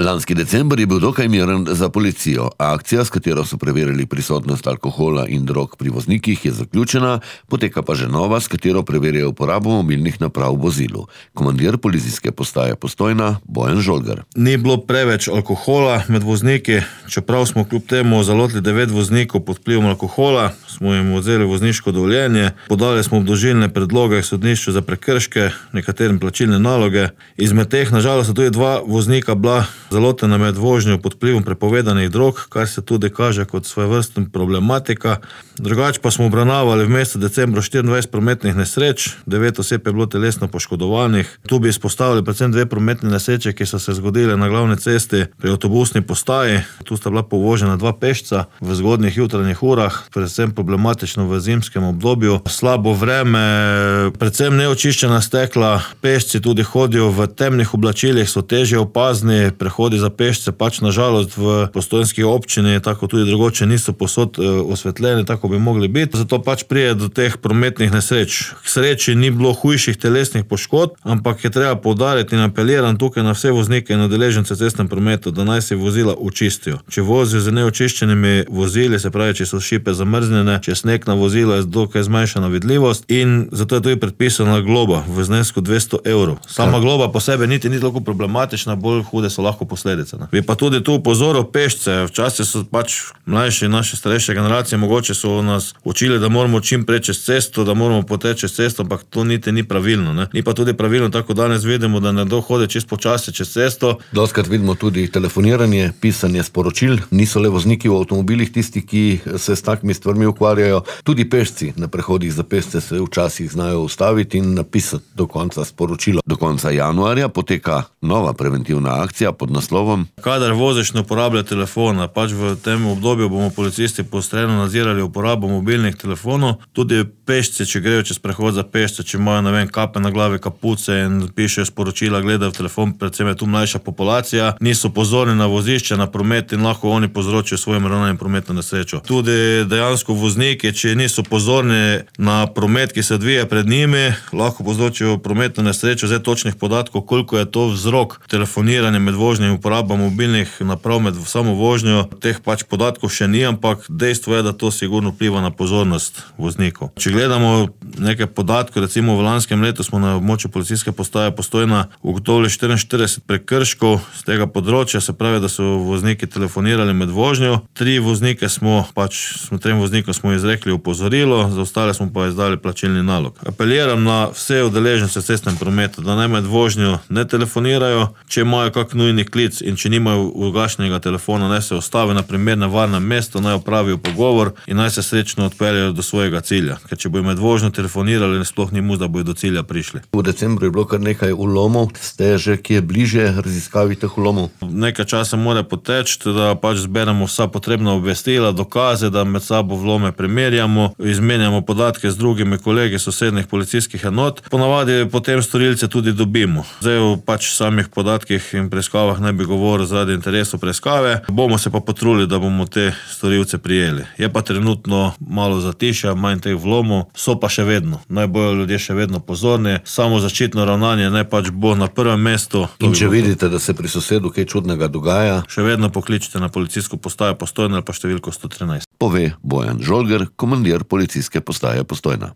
Lanski december je bil dokaj miren za policijo. Akcija, s katero so preverili prisotnost alkohola in drog pri voznikih, je zaključena, poteka pa že nova, s katero preverjajo uporabo mobilnih naprav v vozilu. Komandir policijske postaje Postojna Bojan Žolgar. Ni bilo preveč alkohola med vozniki, čeprav smo kljub temu zalotili 9 voznikov pod vplivom alkohola, smo jim vzeli vozniško dovoljenje, podali smo obdolžilne predloge sodnišču za prekrške, nekaterim plačilne naloge. Izmed teh nažalost so tudi 2 voznika bila zalotena med vožnjo pod vplivom prepovedanih drog, kar se tudi kaže kot svojevrstna problematika. Drugače pa smo obravnavali v mesecu decembru 24 prometnih nesreč, 9 oseb je bilo telesno poškodovanih. Tu bi izpostavili predvsem 2 prometne nesreče, ki so se zgodile na glavni cesti pri avtobusni postaji. Tu sta bila povožena 2 pešca v zgodnjih jutranjih urah, predvsem problematično v zimskem obdobju. Slabo vreme, predvsem neočiščena stekla, pešci tudi hodijo v temnih oblačilih, so težje opazni, prehodi za pešce pač nažalost v postojnski občini, tako tudi drugoče niso povsod osvetljeni, tako bi mogli biti. Zato pač pride do teh prometnih nesreč. K sreči ni bilo hujših telesnih poškodb, ampak je treba poudariti in apeliram tukaj na vse voznike in udeležence v cestnem prometu, da naj se vozila očistijo. Če vozijo z neočiščenimi vozili, se pravi, če so šipe zamrznjene, če sneg na vozilo, je dokaj zmanjšana vidljivost in zato je tudi predpisana globa v znesku 200 evrov. Sama globa po sebi niti ni toliko problematična, bolj hude so lahko posledice. Bi pa tudi tu upozoril pešce, včasih so pač mlajši, naše starejše generacije, mogoče so nas učili, da moramo čim prej čez cesto, da moramo poteči čez cesto, ampak to niti ni pravilno. Ne? Ni pa tudi pravilno, tako danes vidimo, da nekdo hodi čez počasi čez cesto. Dostikrat vidimo tudi telefoniranje, pisanje sporočil, niso le vozniki v avtomobilih tisti, ki se s takimi stvarmi ukvarjajo, tudi pešci na prehodih za pešce se včasih znajo ustaviti in napisati do konca sporočilo. Do konca januarja poteka nova preventivna akcija pod naslovom Kadar voziš, ne uporabljaj telefona. Pač v tem obdobju bomo policisti poostreno nadzirali uporabo mobilnih telefonov. Tudi pešci, če grejo čez prehod za pešce, če imajo, kape na glavi, kapuce in pišejo sporočila, gledajo v telefon, predvsem je tu mlajša populacija, niso pozorni na vozišče, na promet in lahko oni povzročijo svojim ravnanjem prometno nesrečo. Tudi dejansko vozniki, če niso pozorni na promet, ki se odvija pred njimi, lahko povzročijo prometno nesrečo. Zdaj točnih podatkov, koliko je to vzrok telefoniranja med vožnjo in uporabo mobilnih naprav med samo vožnjo, teh pač podatkov še ni, ampak dejstvo je, da to sigurno vpliva na pozornost voznikov. Če gledamo nekaj podatkov, recimo v lanskem letu smo na območju policijske postaje Postojna ugotovili 44 prekrškov z tega področja, se pravi, da so vozniki telefonirali med vožnjo. 3 voznikom smo izrekli opozorilo, za ostale smo pa izdali plačilni nalog. Apeliram na vse udeležence v cestnem prometu, da naj med vožnjo ne telefonirajo, če imajo kak nujni klic in če nimajo ugašnjenega telefona, naj se ustavi na primernem varnem mestu, naj opravijo pogovor in naj se srečno odpeljejo do svojega cilja. Ker če bojo med vožnjo telefonirali, sploh ni možno, da bojo do cilja prišli. V decembru je bilo kar nekaj vlomov, ste že kje bliže raziskavi teh vlomov? Nekaj časa mora poteči, da pač zberemo vsa potrebna obvestila, dokaze, da med sabo vlome primerjamo, izmenjamo podatke z drugimi kolegi sosednjih policijskih enot. Ponavadi potem storilce tudi dobimo. Zdaj v pač samih podatkih in preiskavah ne bi govoril zaradi interesov preiskave. Bomo se pa potrudili, da bomo te storilce prijeli. Je pa trenutno malo zatišja, manj teh vlomov, so pa še vedno. Naj bojo ljudje še vedno pozorni, samo zaščitno ravnanje naj pač bo na prvem mestu. In če vidite, da se pri sosedu kaj čudnega dogaja, še vedno pokličite na policijsko postajo Postojna ali pa številko 113. Pove Bojan Žolgar, komandir policijske postaje Postojna.